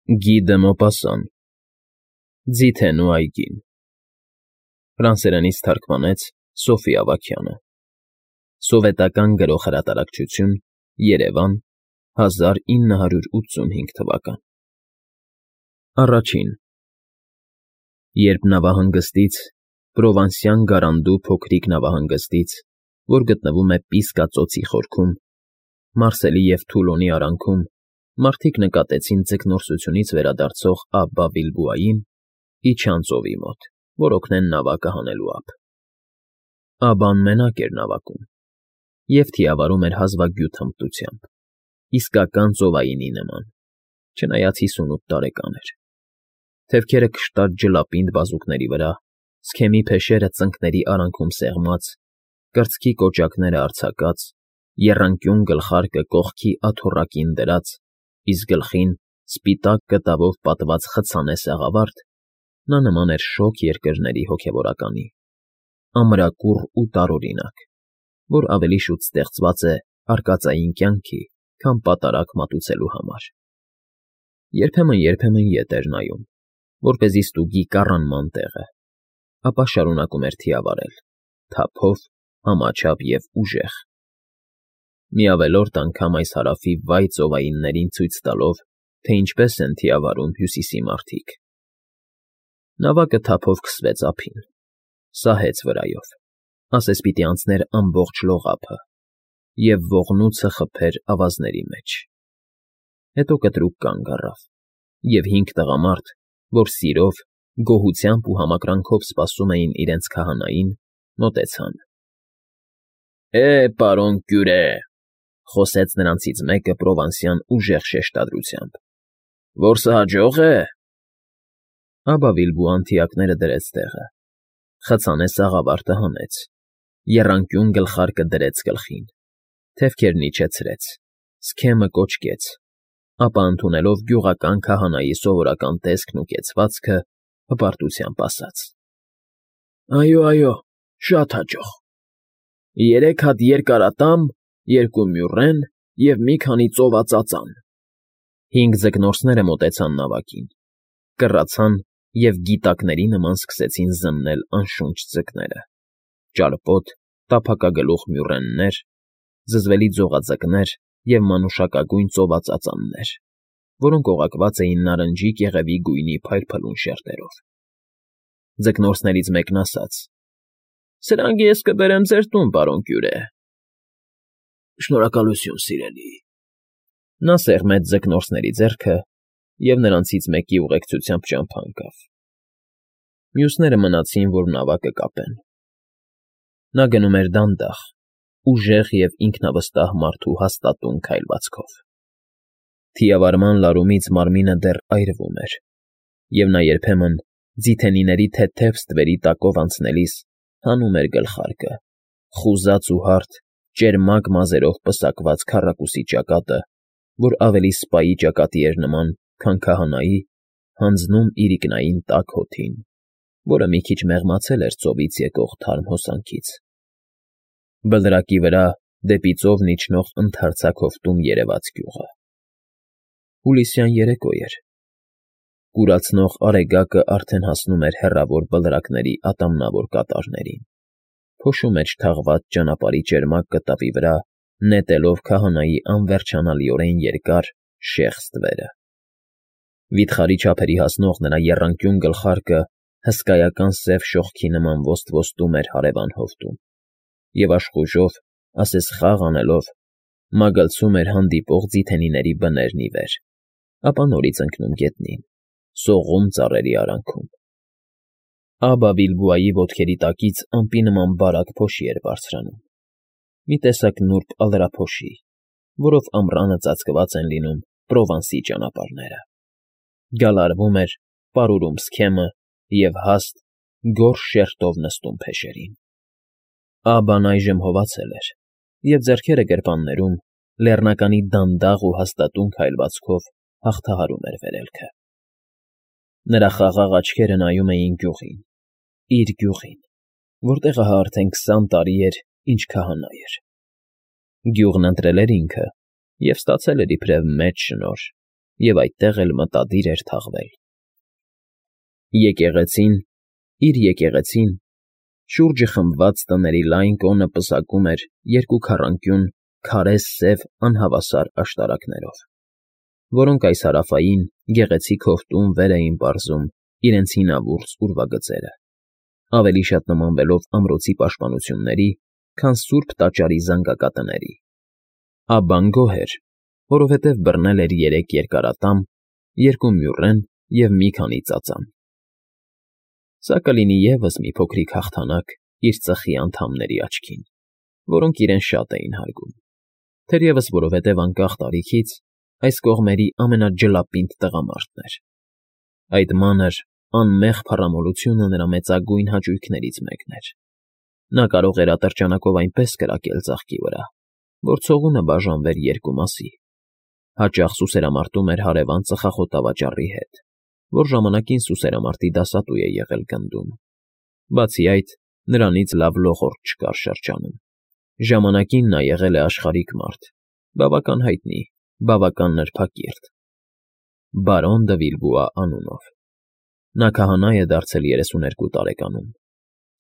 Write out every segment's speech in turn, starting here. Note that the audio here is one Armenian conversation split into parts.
Գի դը Մոպասան, Ձիթենու այգին, ֆրանսերենից թարգմանեց Սոֆի Ավագյանը, Սովետական Գրող Հրատարակչություն, Երևան, 1985 թվական։ Առաջին Երբ նավահանգստից, Պրովանսյան Գարանդու փոքրիկ նավահանգստից, որ գտնվում է Պիսկա ծոցի խորքում, Մարսելի և Թուլոնի արանքում, մարդիկ նկատեցին ձկնորսությունից վերադարձող Աբբա Վիլբուային, իջան ծովի մոտ, որ օգնեն նավակը հանելու ափ։ Աբբան մենակ էր նավակում և թիավարում էր հազվագյուտ հմտությամբ, իսկական ծովայինի նման, չնայած 58 տարեկան էր։ Թևքերը կշտած ջլապինդ բազուկների վրա, սքեմի փեշերը ծնկների արանքում սեղմած, կրծքի կոճակները արձակած, եռանկյուն գլխարկը կողքի աթոռակին դրած, իսկ գլխին սպիտակ կտավով պատված խցանե սաղավարտ, նա նման էր շոգ երկրների հոգևորականի, ամրակուռ ու տարօրինակ, որ ավելի շուտ ստեղծված է արկածային կյանքի, քան պատարագ մատուցելու համար։ Երբեմն ետ էր նայում, որպեսզի ստուգի կառանման տեղը, ապա շարունակում էր թիավարել, թափով, համաչափ և ուժեղ։ Մի ավելորդ անգամ այս հարավի վայ ծովայիններին ցույց տալով, թե ինչպես են թիավարում հյուսիսի մարդիկ։ Նավակը թափով քսվեց ափին, սահեց վրայով, ասես պիտի անցներ ամբողջ լողափը, և ողնույթը խփեր ավազների մեջ։ Հետո կտրուկ կանգ առավ, և 5 տղամարդ, որ սիրով, գոհությամբ ու համակրանքով սպասում էին իրենց քահանային, մոտեցան։ Պարոն Կյուրե,֊ խոսեց նրանցից մեկը Պրովանսյան ուժեղ շեշտադրությամբ,֊ որսը հաջող է։ Աբբա Վիլբուան թիակները դրեց տեղը, խցանե սաղավարտը հանեց, եռանկյուն գլխարկը դրեց գլխին, թևքերն իջեցրեց, սքեմը կոճկեց, ապա ընդունելով գյուղական քահանայի սովորական տեսքն ու կեցվածքը, հպարտությամբ ասաց. Այո, շատ հաջող։ 3 հատ երկարատամ, 2 մյուռեն և մի քանի ծովածածան։ 5 ձկնորսները մոտեցան նավակին, կռացան և գիտակների նման սկսեցին զննել անշունչ ձկները, ճարպոտ, տափակագլուխ մյուռեններ, զզվելի ձողաձկներ և մանուշակագույն ծովածածաններ, որոնք օղակված էին նարնջի կեղևի գույնի փայլփլուն շերտերով։ Ձկնորսներից մեկն ասաց. «Սրանք ես կբերեմ ձեր տուն, պարոն Կյուրե»։ «Շնորհակալություն, սիրելի»։ Նա սեղմեց ձկնորսների ձեռքը և նրանցից մեկի ուղեկցությամբ ճամփա ընկավ։ Մյուսները մնացին, որ նավակը կապեն։ Նա գնում էր դանդաղ, ուժեղ և ինքնավստահ մարդու հաստատուն քայլվածքով։ Թիավարման լարումից մարմինը դեռ այրվում էր, և նա երբեմն, ձիթենիների թեթև ստվերի տակով անցնելիս, հանում էր գլխարկը, խուզած ու հարթ, ճերմակ մազերով պսակված քառակուսի ճակատը, որ ավելի սպայի ճակատի էր նման, քան քահանայի, հանձնում իրիկնային տաք հոթին, որը մի քիչ մեղմացել էր ծովից եկող թարմ հոսանքից։ Բլրակի վրա դեպի ծովն իջնող ընդարձակ հովտում երևաց գյուղը։ Հուլիսյան երեկո էր։ Կուրացնող արեգակը արդեն հասնում էր հեռավոր բլրակների ատամնավոր կատարներին, փոշու մեջ թաղված ճանապարհի ճերմակ կտավի վրա նետելով քահանայի անվերջանալիորեն երկար, շեղ ստվերը։ Վիթխարի չափերի հասնող նրա եռանկյուն գլխարկը հսկայական սև շողքի նման ոստվոստում էր հարևան հովտում և աշխուժով, ասես խաղ անելով, մագլցում էր հանդիպող ձիթենիների բներն ի վեր, ապա նորից ընկնում գետնին, սողում ծառերի արանքում։ Աբբա Վիլբուայի ոտքերի տակից ամպի նման բարակ փոշի էր բարձրանում, մի տեսակ նուրբ ալրափոշի, որով ամռանը ծածկված են լինում Պրովանսի ճանապարհները։ Գալարվում էր, պարուրում սքեմը և հաստ, գորշ շերտով նստում փեշերին։ Աբբան այժմ հովացել էր և ձեռքերը գրպաններում, լեռնականի դանդաղ ու հաստատուն քայլվածքով հաղթահարում էր վերելքը։ Նրա խաղաղ աչքերը նայում էին գյուղին, իր գյուղին, որտեղ ահա արդեն 20 տարի էր, ինչ քահանա էր։ Գյուղն ընտրել էր ինքը և ստացել էր իբրև մեծ շնորհ և այդտեղ էլ մտադիր էր թաղվել։ Եկեղեցին, իր եկեղեցին, շուրջը խմբված տների լայն կոնը պսակում էր երկու քառանկյուն, քարե սև անհավասար աշտարակներով, որոնք այս հարավային, գեղեցիկ հովտում վեր էին պարզում իրենց հինավուրց ուրվագծերը, ավելի շատ նմանվելով ամրոցի պաշտպանությունների, քան սուրբ տաճարի զանգակատների։ Աբբան գոհ էր, որովհետև բռնել էր 3 երկարատամ, 2 մյուռեն և մի քանի ծածան։ Սա կլինի ևս մի փոքրիկ հաղթանակ իր ծխի անդամների աչքին, որոնք իրեն շատ էին հարգում, թերևս որովհետև անկախ տարիքից այս կողմերի ամենաջլապինդ տղամարդն էր։ Այդ մանր, անմեղ փառամոլությունը նրա մեծագույն հաճույքներից մեկն էր։ Նա կարող էր ատրճանակով այնպես կրակել ծաղկի վրա, որ ցողունը բաժանվեր երկու մասի, հաճախ սուսերամարտում էր հարևան ծխախոտավաճառի հետ, որ ժամանակին սուսերամարտի դասատու է եղել գնդում։ Բացի այդ, նրանից լավ լողորդ չկար շրջանում։ Ժամանակին նա եղել է աշխարհիկ մարդ, բավական հայտնի, բավական նրբակիրթ։ Բարոն դը Վիլբուա անունով։ Նա քահանա է դարձել 32 տարեկանում,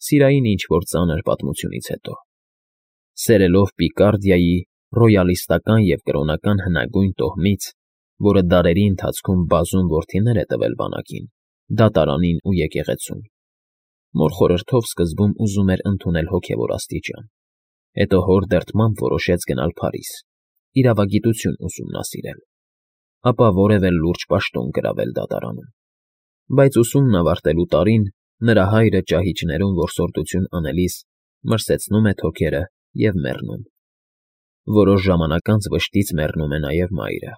սիրային ինչ-որ ծանր պատմությունից հետո։ Սերելով Պիկարդիայի ռոյալիստական և կրոնական հնագույն տոհմից, որը դարերի ընթացքում բազում որդիներ է տվել բանակին, դատարանին ու եկեղեցուն, մոր խորհրդով սկզբում ուզում էր ընդունել հոգևոր աստիճան, հետո հոր դրդմամբ որոշեց գնալ Փարիզ, իրավագիտություն ուսումնասիրել, ապա որևէ լուրջ պաշտոն գրավել դատարանում։ Բայց ուսումն ավարտելու տարին նրա հայրը ճահիճներում որսորդություն անելիս մրսեցնում է թոքերը և մեռնում։ Որոշ ժամանակ անց վշտից մեռնում է նաև մայրը։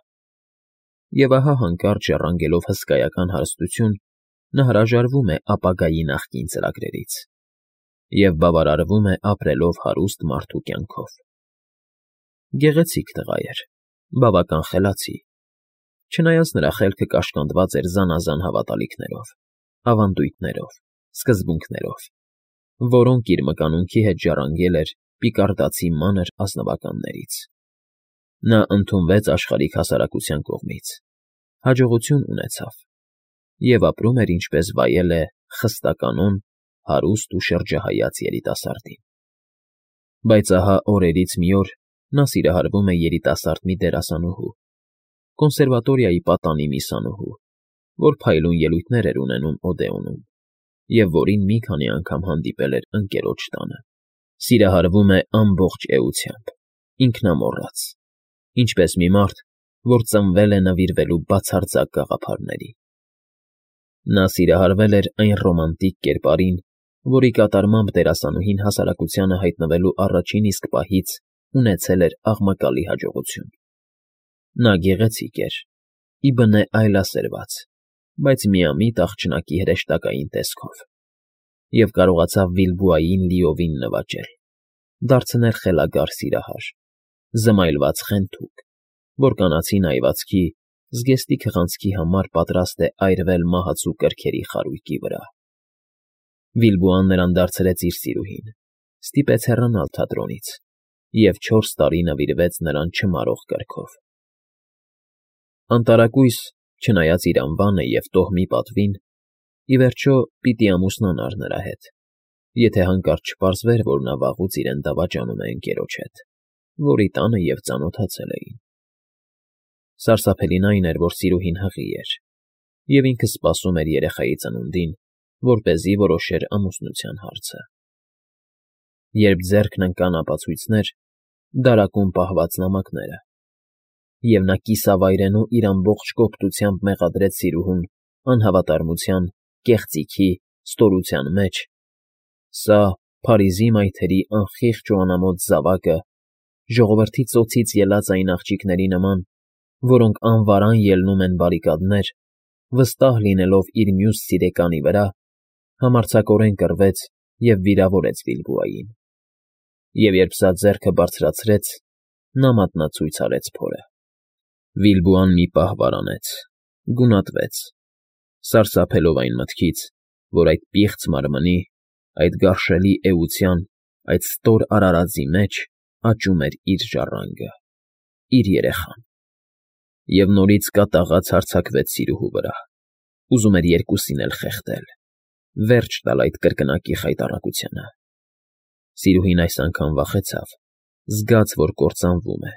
Եվ ահա հանկարծ ժառանգելով հսկայական հարստություն, նա հրաժարվում է ապագայի նախկին ծրագրերից և բավարարվում է ապրելով հարուստ մարդու կյանքով։ Գեղեցիկ տղա էր, բավական խելացի, չնայած նրա խելքը կաշկանդված էր զանազան հավատալիքներով, ավանդույթներով, սկզբունքներով, որոնք իր մկանունքի հետ ժառանգել էր պիկարդացի մանր ազնվականներից։ Նա ընդունվեց աշխարհիկ հասարակության կողմից, հաջողություն ունեցավ և ապրում էր ինչպես վայել է խստականոն, հարուստ ու շրջահայաց երիտասարդին։ Բայց ահա օրերից մի օր նա սիրահարվում է երիտասարդ մի դերասանուհու, կոնսերվատորիայի պատանի միսանուհու, որ փայլուն ելույթներ էր ունենում Օդեոնում և որին մի քանի անգամ հանդիպել էր ընկերոջ տանը։ Սիրահարվում է ամբողջ էությամբ, ինքնամոռաց, ինչպես մի մարդ, որ ծնվել է նվիրվելու բացարձակ գաղափարների։ Նա սիրահարվել էր այն ռոմանտիկ կերպարին, որի կատարմամբ դերասանուհին հասարակությանը հայտնվելու առաջին իսկ պահից ունեցել էր աղմկալի հաջողություն։ Նա գեղեցիկ էր, ի բնե այլասերված, բայց միամիտ աղջնակի հրեշտակային տեսքով, և կարողացավ Վիլբուային լիովին նվաճել, դարձնել խելագար սիրահար, զմայլված խենթուկ, որ կանացին այվածքի, զգեստի քղանցքի համար պատրաստ է այրվել մահացու կրքերի խարույկի վրա։ Վիլբուան նրան դարձրեց իր սիրուհին, ստիպեց հեռանալ թատրոնից և 4 տարի նվիրվեց նրան չմարող կրքով։ Անտարակույս, չնայած իր անվանը և տոհմի պատվին, ի վերջո պիտի ամուսնանար նրա հետ, եթե հանկարծ չպարզվեր, որ նա վաղուց իրեն դավաճանում է ընկերոջ հետ, որի տանը և ծանոթացել էին։ Սարսափելին այն էր, որ սիրուհին հղի էր, և ինքը սպասում էր երեխայի ծնունդին, որպեսզի որոշեր ամուսնության հարցը։ Երբ ձեռքն ընկան ապացույցներ, դարակում պահված նամակները, և նա կիսավայրենու իր ամբողջ կոպտությամբ մեղադրեց սիրուհուն անհավատարմության, կեղծիքի, ստորության մեջ, սա Փարիզի մայթերի անխիղճ ու անամոթ զավակը, ժողովրդի ծոցից ելած այն աղջիկների նման, որոնք անվարան ելնում են բարիկադներ, վստահ լինելով իր մյուս սիրեկանի վրա, համարձակորեն կռվեց և վիրավորեց Վիլբուային։ Եվ երբ սա ձեռքը բարձրացրեց, նա մատնացույց արեց փորը։ Վիլբուան մի պահ վարանեց, գունատվեց, սարսափելով այն մտքից, որ այդ պիղծ մարմնի, այդ գարշելի էության, այդ ստոր արարածի մեջ աճում էր իր ժառանգը, իր երեխան։ Եվ նորից կատաղած հարձակվեց սիրուհու վրա, ուզում էր երկուսին էլ խեղդել, վերջ տալ այդ կրկնակի խայտառակությանը։ Սիրուհին այս անգամ վախեցավ, զգաց, որ կործանվում է,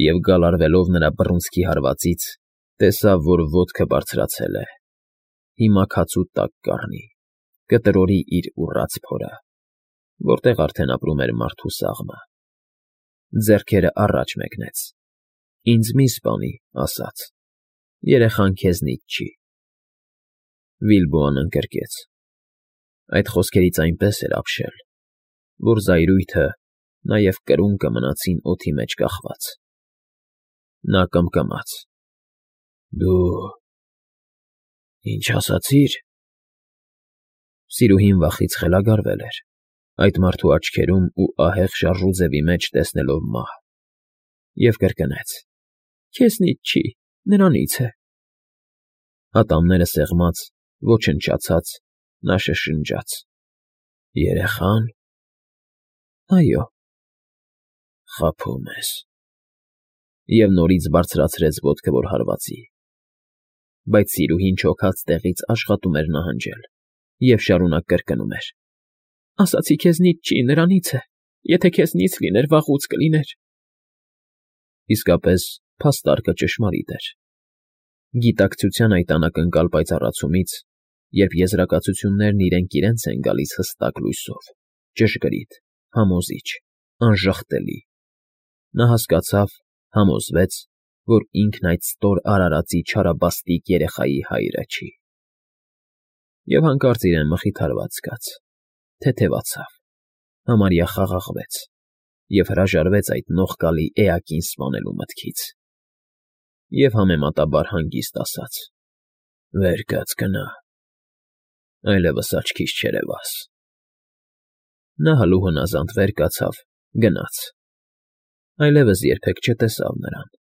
և գալարվելով նրա բռունցքի հարվածից, տեսավ, որ ոտքը բարձրացել է, հիմա քացու տակ կառնի, կտրորի իր ուռած փորը, որտեղ արդեն ապրում էր մարդու սաղմը։ Ձեռքերը առաջ մեկնեց. «Ինձ մի սպանի», ասաց, «երեխան քեզնից չի»։ Բիլբոն ընկրկեց։ Այդ խոսքերից այնպես էր ապշել, որ զայրույթը, նաև կրունկը մնացին օդի մեջ կախված։ Նա կմկմաց. «Դու ինչ ասացիր»։ Սիրուհին վախից խելագարվել էր, այդ մարդու աչքերում ու ահեղ շարժուձևի մեջ տեսնելով մահ, և կրկնեց. «Քեզնից չի, նրանից է»։ Ատամները սեղմած, ոչնչացած, նա շշնջաց. «Երեխա՞ն»։ «Այո»։ «Խաբում ես»։ Եվ նորից բարձրացրեց ոտքը, որ հարվածի։ Բայց սիրուհին չոքած տեղից աշխատում էր նահանջել և շարունակ կրկնում էր. «Ասացի քեզնից չի, նրանից է, եթե քեզնից լիներ, վաղուց կլիներ»։ Իսկապես, փաստարկը ճշմարիտ էր։ Գիտակցության այդ անակնկալ պայծառացումից, երբ եզրակացություններն իրենք իրենց են գալիս հստակ լույսով, ճշգրիտ, համոզիչ, անժխտելի, նա հասկացավ, համոզվեց, որ ինքն այդ ստոր արարածի չարաբաստիկ երեխայի հայրը չի։ Եվ հանկարծ իրեն մխիթարված զգաց, թեթևացավ, համարյա խաղաղվեց և հրաժարվեց այդ նողկալի էակին սպանելու մտքից։ Եվ համեմատաբար հանգիստ ասաց. «Վեր կաց գնա, այլևս աչքիս չերևաս»։ Նա հլուհնազանդ վեր կացավ, գնաց, այլևս երբեք չտեսավ նրան։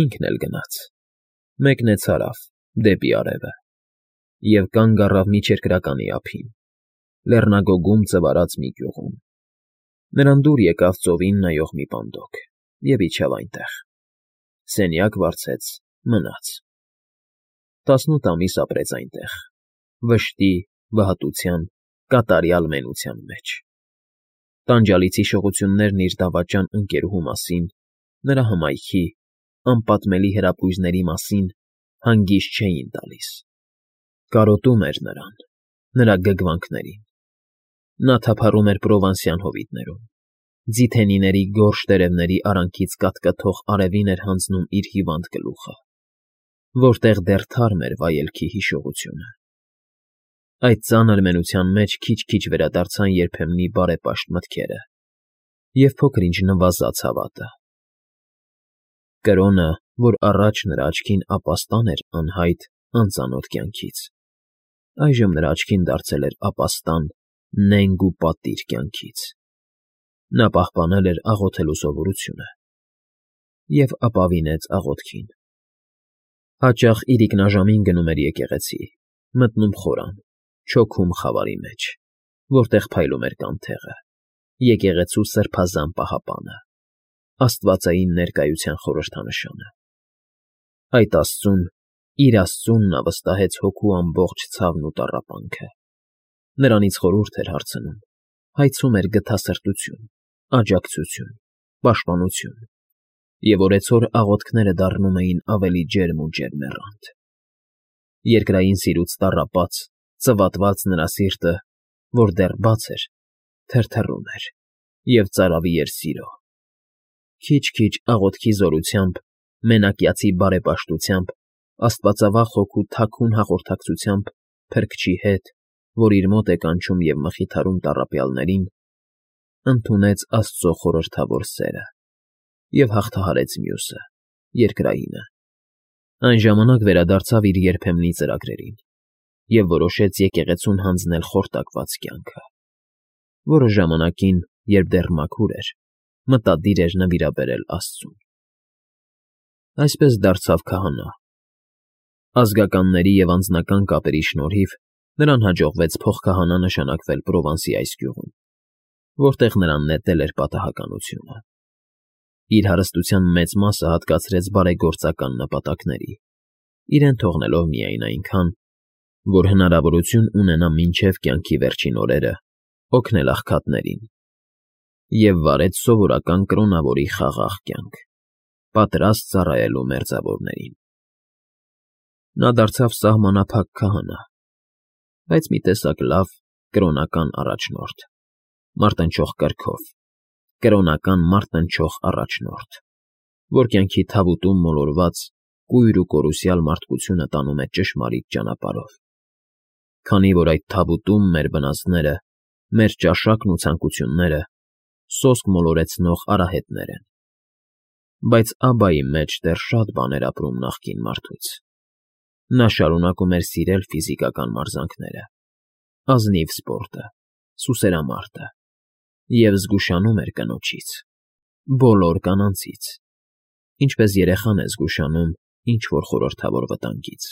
Ինքն էլ գնաց, մեկնեց հարավ, դեպի արևը, և կանգ առավ մի չերկրականի ափին, լեռնագոգում ծվարած մի գյուղում։ Նրան դուր եկավ ծովին նայող մի պանդոկ և իջավ այնտեղ, սենյակ վարձեց, մնաց։ 18 ամիս ապրեց այնտեղ, վշտի, վհատության, կատարյալ մենության մեջ։ Տանջալից հիշողություններն իր դավաճան ընկերուհու մասին, նրա հմայքի, անպատմելի հրապույզների մասին հանգիստ չէին տալիս։ Կարոտում էր նրան, նրա գգվանքներին։ Նա թափառում էր պրովանսյան հովիտներում, ձիթենիների գորշ տերևների արանքից կատկթող արևին էր հանձնում իր հիվանդ գլուխը, որտեղ դեռ թարմ էր վայելքի հիշողությունը։ Այդ ծանր մենության մեջ քիչ-քիչ վերադարձան երբեմնի բարեպաշտ մտքերը և փոքր-ինչ նվազած հավատը։ Կրոնը, որ առաջ նրա աչքին ապաստան էր անհայտ, անծանոթ կյանքից, այժմ նրա աչքին դարձել էր ապաստան, նենգ ու պատիժ կյանքից։ Նա պահպանել էր աղոթելու սովորությունը և ապավինեց աղոթքին։ Հաճախ իրիկնաժամին գնում էր եկեղեցի, մտնում խորան, չոքում խավարի մեջ, որտեղ փայլում էր կանթեղը, եկեղեցու սրբազան պահապանը, աստվածային ներկայության խորհրդանշանը։ Այդ աստծուն, իր աստծուն նա վստահեց հոգու ամբողջ ցավն ու տառապանքը։ Նրանից խորհուրդ էր հարցնում, հայցում էր գթասրտություն, աջակցություն, պաշտպանություն, և օրեցօր աղոթքները դառնում էին ավելի ջերմ ու ջերմեռանդ։ Երկրային սիրուց տառապած, ծվատված նրա սիրտը, որ դեռ բաց էր, թրթռում էր և ծարավի էր սիրո։ Քիչ֊քիչ աղոթքի զորությամբ, մենակյացի բարեպաշտությամբ, աստվածավախ հոգու թաքուն հաղորդակցությամբ Փրկչի հետ, որ իր մոտ է կանչում և մխիթարում տառապյալներին, ընդունեց աստծո խորհրդավոր սերը և հաղթահարեց մյուսը, երկրայինը։ Այն ժամանակ վերադարձավ իր երբեմնի ծրագրերին և որոշեց եկեղեցուն հանձնել խորտակված կյանքը, որը ժամանակին, երբ դեռ մաքուր էր, մտադիր էր նվիրաբերել աստծուն։ Այսպես դարձավ քահանա։ Ազգականների և անձնական կապերի շնորհիվ նրան հաջողվեց փոխքահանա նշանակվել Պրովանսի այս գյուղում, որտեղ նրան նետել էր պատահականությունը։ Իր հարստության մեծ մասը հատկացրեց բարեգործական նպատակների, իրեն թողնելով միայն այնքան, որ հնարավորություն ունենա մինչև կյանքի վերջին օրերը օգնել աղքատներին, և վարեց սովորական կրոնավորի խաղաղ կյանք, պատրաստ ծառայելու մերձավորներին։ Նա դարձավ սահմանափակ քահանա, բայց մի տեսակ լավ կրոնական առաջնորդ, մարտնչող կրքով, կրոնական մարտնչող առաջնորդ, որ կյանքի թավուտում մոլորված կույր ու կորուսյալ մարդկությունը տանում է ճշմարիտ ճանապարհով, քանի որ այդ թավուտում մեր վնասները, մեր ճաշակն ու ցանկությունները սոսկ մոլորեցնող արահետներ են։ Բայց Աբայի մեջ դեռ շատ բան էր ապրում նախկին մարդուց. նա շարունակում էր սիրել ֆիզիկական մարզանքները, ազնիվ սպորտը, սուսերամարտը և զգուշանում էր կնոջից, բոլոր կանանցից, ինչպես երեխան է զգուշանում ինչ֊որ խորհրդավոր վտանգից։